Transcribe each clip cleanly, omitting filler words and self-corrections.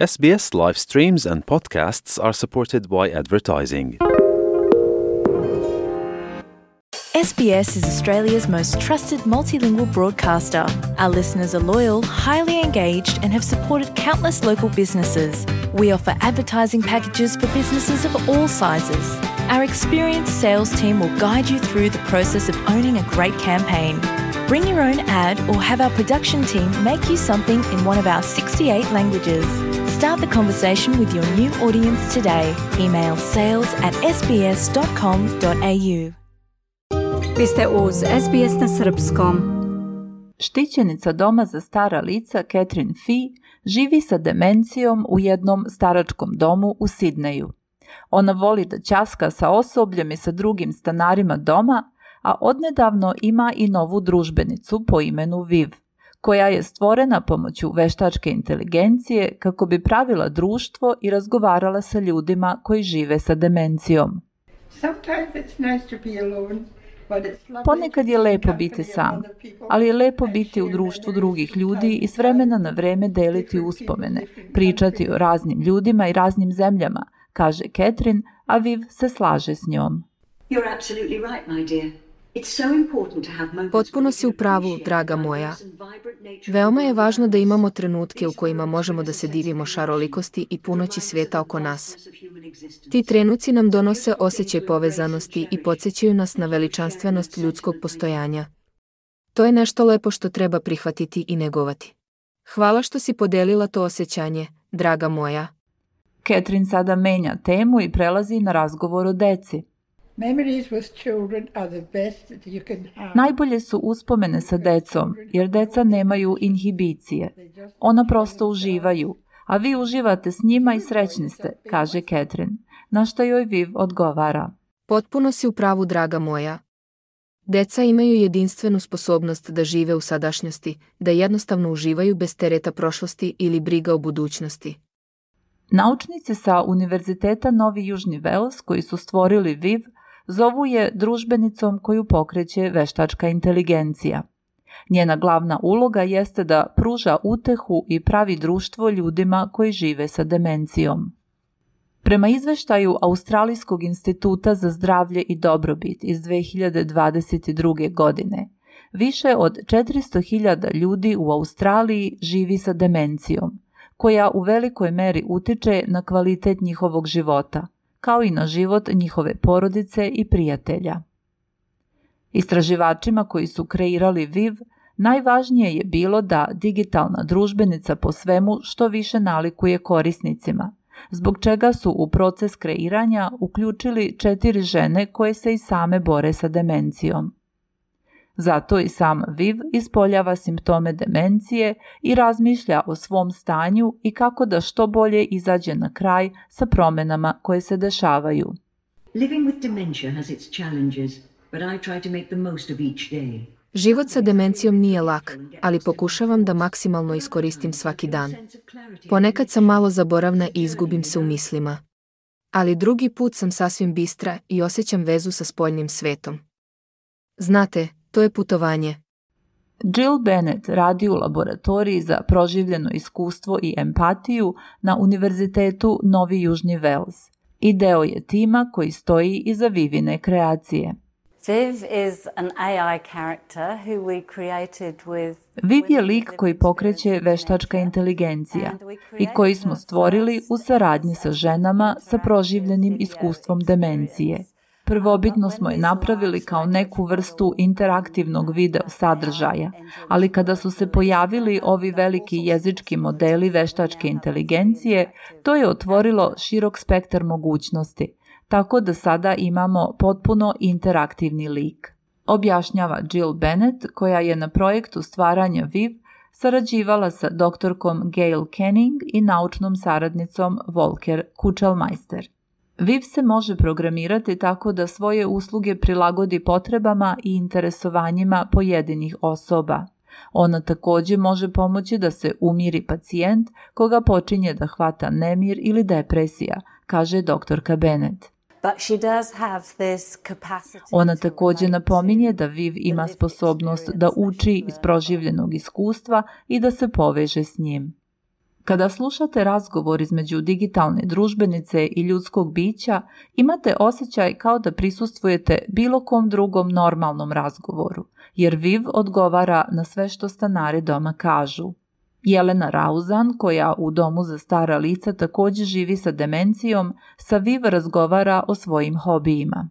SBS live streams and podcasts are supported by advertising. SBS is Australia's most trusted multilingual broadcaster. Our listeners are loyal, highly engaged, and have supported countless local businesses. We offer advertising packages for businesses of all sizes. Our experienced sales team will guide you through the process of owning a great campaign. Bring your own ad or have our production team make you something in one of our 68 languages. Start the conversation with your new audience today. Email sales@sbs.com.au. Vi ste uz SBS na srpskom. Štićenica doma za stara lica Catherine Fee živi sa demencijom u jednom staračkom domu u Sidneju. Ona voli da ćaska sa osobljem i sa drugim stanarima doma, a odnedavno ima i novu družbenicu po imenu Viv, koja je stvorena pomoću veštačke inteligencije kako bi pravila društvo i razgovarala sa ljudima koji žive sa demencijom. Ponekad je lepo biti sam, ali je lepo biti u društvu drugih ljudi i s vremena na vreme deliti uspomene, pričati o raznim ljudima i raznim zemljama, kaže Catherine, a Viv se slaže s njom. Potpuno si u pravu, draga moja. Veoma je važno da imamo trenutke u kojima možemo da se divimo šarolikosti i punoći svijeta oko nas. Ti trenuci nam donose osjećaj povezanosti i podsjećaju nas na veličanstvenost ljudskog postojanja. To je nešto lepo što treba prihvatiti i negovati. Hvala što si podelila to osjećanje, draga moja. Catherine sada menja temu i prelazi na razgovor o deci. Najbolje su uspomene sa decom, jer deca nemaju inhibicije. Ona prosto uživaju, a vi uživate s njima i srećni ste, kaže Catherine, na što joj Viv odgovara. Potpuno si u pravu, draga moja. Deca imaju jedinstvenu sposobnost da žive u sadašnjosti, da jednostavno uživaju bez tereta prošlosti ili briga o budućnosti. Naučnici sa Univerziteta Novi Južni Wales, koji su stvorili Viv, zovu je družbenicom koju pokreće veštačka inteligencija. Njena glavna uloga jeste da pruža utehu i pravi društvo ljudima koji žive sa demencijom. Prema izveštaju Australijskog instituta za zdravlje i dobrobit iz 2022. godine, više od 400.000 ljudi u Australiji živi sa demencijom, koja u velikoj meri utiče na kvalitet njihovog života, kao i na život njihove porodice i prijatelja. Istraživačima koji su kreirali Viv, najvažnije je bilo da digitalna družbenica po svemu što više nalikuje korisnicima, zbog čega su u proces kreiranja uključili 4 žene koje se i same bore sa demencijom. Zato i sam Viv ispoljava simptome demencije i razmišlja o svom stanju i kako da što bolje izađe na kraj sa promjenama koje se dešavaju. Život sa demencijom nije lak, ali pokušavam da maksimalno iskoristim svaki dan. Ponekad sam malo zaboravna i izgubim se u mislima. Ali drugi put sam sasvim bistra i osjećam vezu sa spoljnim svetom. Znate, to je putovanje. Jill Bennett radi u laboratoriji za proživljeno iskustvo i empatiju na Univerzitetu Novi Južni Wales i deo je tima koji stoji iza Vivine kreacije. Viv je lik koji pokreće veštačka inteligencija i koji smo stvorili u saradnji sa ženama sa proživljenim iskustvom demencije. Prvobitno smo je napravili kao neku vrstu interaktivnog video sadržaja, ali kada su se pojavili ovi veliki jezički modeli veštačke inteligencije, to je otvorilo širok spektar mogućnosti, tako da sada imamo potpuno interaktivni lik. Objašnjava Jill Bennett, koja je na projektu stvaranja Viv sarađivala sa doktorkom Gail Canning i naučnom saradnicom Volker Kuchelmeister. Viv se može programirati tako da svoje usluge prilagodi potrebama i interesovanjima pojedinih osoba. Ona također može pomoći da se umiri pacijent koga počinje da hvata nemir ili depresija, kaže doktorka Bennett. Ona također napominje da Viv ima sposobnost da uči iz proživljenog iskustva i da se poveže s njim. Kada slušate razgovor između digitalne družbenice i ljudskog bića, imate osjećaj kao da prisustvujete bilo kom drugom normalnom razgovoru, jer Viv odgovara na sve što stanari doma kažu. Jelena Rauzan, koja u domu za stara lica također živi sa demencijom, sa Viv razgovara o svojim hobijima.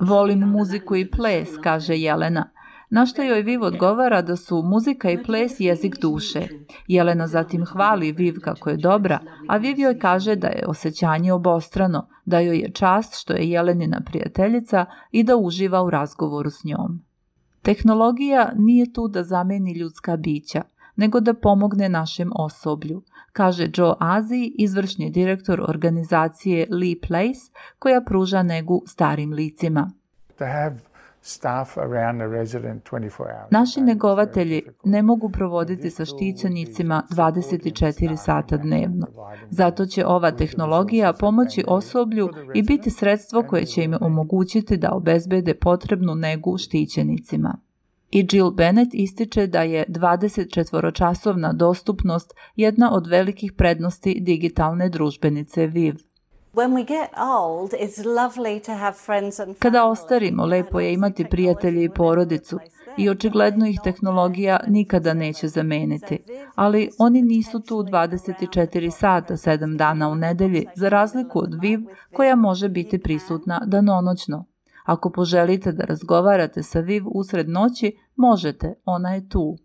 Volim muziku i ples, kaže Jelena. Na što joj Viv odgovara da su muzika i ples jezik duše. Jelena zatim hvali Viv kako je dobra, a Viv joj kaže da je osjećanje obostrano, da joj je čast što je Jelenina prijateljica i da uživa u razgovoru s njom. Tehnologija nije tu da zameni ljudska bića, nego da pomogne našem osoblju, kaže Joe Azi, izvršni direktor organizacije Lee Place, koja pruža negu starim licima. Naši negovatelji ne mogu provoditi sa štićenicima 24 sata dnevno. Zato će ova tehnologija pomoći osoblju i biti sredstvo koje će im omogućiti da obezbede potrebnu negu štićenicima. I Jill Bennett ističe da je 24-časovna dostupnost jedna od velikih prednosti digitalne družbenice Viv. Kada ostarimo, lepo je imati prijatelje i porodicu i očigledno ih tehnologija nikada neće zameniti, ali oni nisu tu 24 sata, 7 dana u nedelji, za razliku od Viv koja može biti prisutna danonoćno. Ako poželite da razgovarate sa Viv usred noći, možete, ona je tu.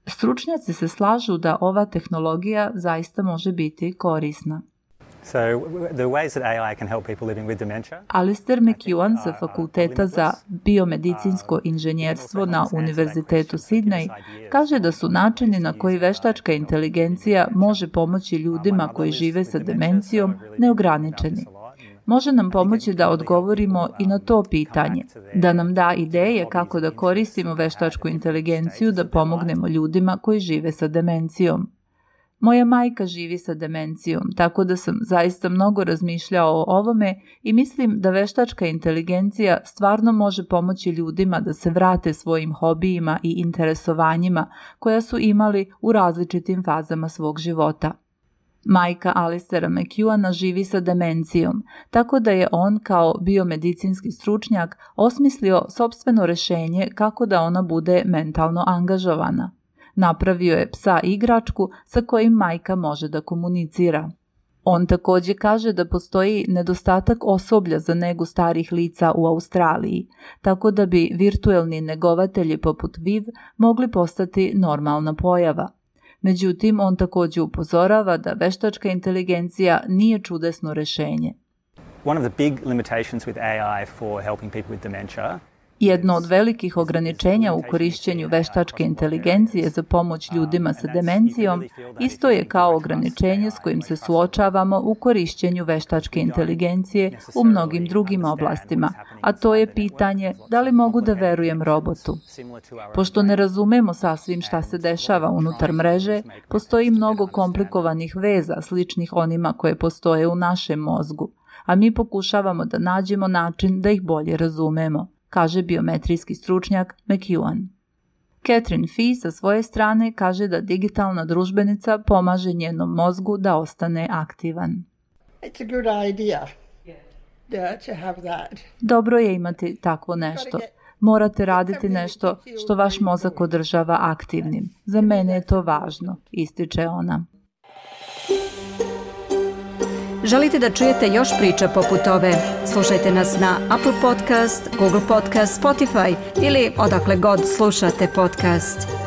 Stručnjaci se slažu da ova tehnologija zaista može biti korisna. Alistair McEwan sa Fakulteta za biomedicinsko inženjerstvo na Univerzitetu Sydney kaže da su načini na koji veštačka inteligencija može pomoći ljudima koji žive sa demencijom neograničeni. Može nam pomoći da odgovorimo i na to pitanje, da nam da ideje kako da koristimo veštačku inteligenciju da pomognemo ljudima koji žive sa demencijom. Moja majka živi sa demencijom, tako da sam zaista mnogo razmišljao o ovome i mislim da veštačka inteligencija stvarno može pomoći ljudima da se vrate svojim hobijima i interesovanjima koja su imali u različitim fazama svog života. Majka Alistaira McEwana živi sa demencijom, tako da je on kao biomedicinski stručnjak osmislio sopstveno rješenje kako da ona bude mentalno angažovana. Napravio je psa igračku sa kojim majka može da komunicira. On također kaže da postoji nedostatak osoblja za negu starih lica u Australiji, tako da bi virtuelni negovatelji poput Viv mogli postati normalna pojava. Međutim, on također upozorava da veštačka inteligencija nije čudesno rješenje. Jedno od velikih ograničenja u korišćenju veštačke inteligencije za pomoć ljudima sa demencijom isto je kao ograničenje s kojim se suočavamo u korišćenju veštačke inteligencije u mnogim drugim oblastima, a to je pitanje da li mogu da verujem robotu. Pošto ne razumemo sasvim šta se dešava unutar mreže, postoji mnogo komplikovanih veza sličnih onima koje postoje u našem mozgu, a mi pokušavamo da nađemo način da ih bolje razumemo, kaže biometrijski stručnjak McEwan. Catherine Fee sa svoje strane kaže da digitalna družbenica pomaže njenom mozgu da ostane aktivan. Dobro je imati takvo nešto. Morate raditi nešto što vaš mozak održava aktivnim. Za mene je to važno, ističe ona. Želite da čujete još priča poput ove? Slušajte nas na Apple Podcast, Google Podcast, Spotify ili odakle god slušate podcast.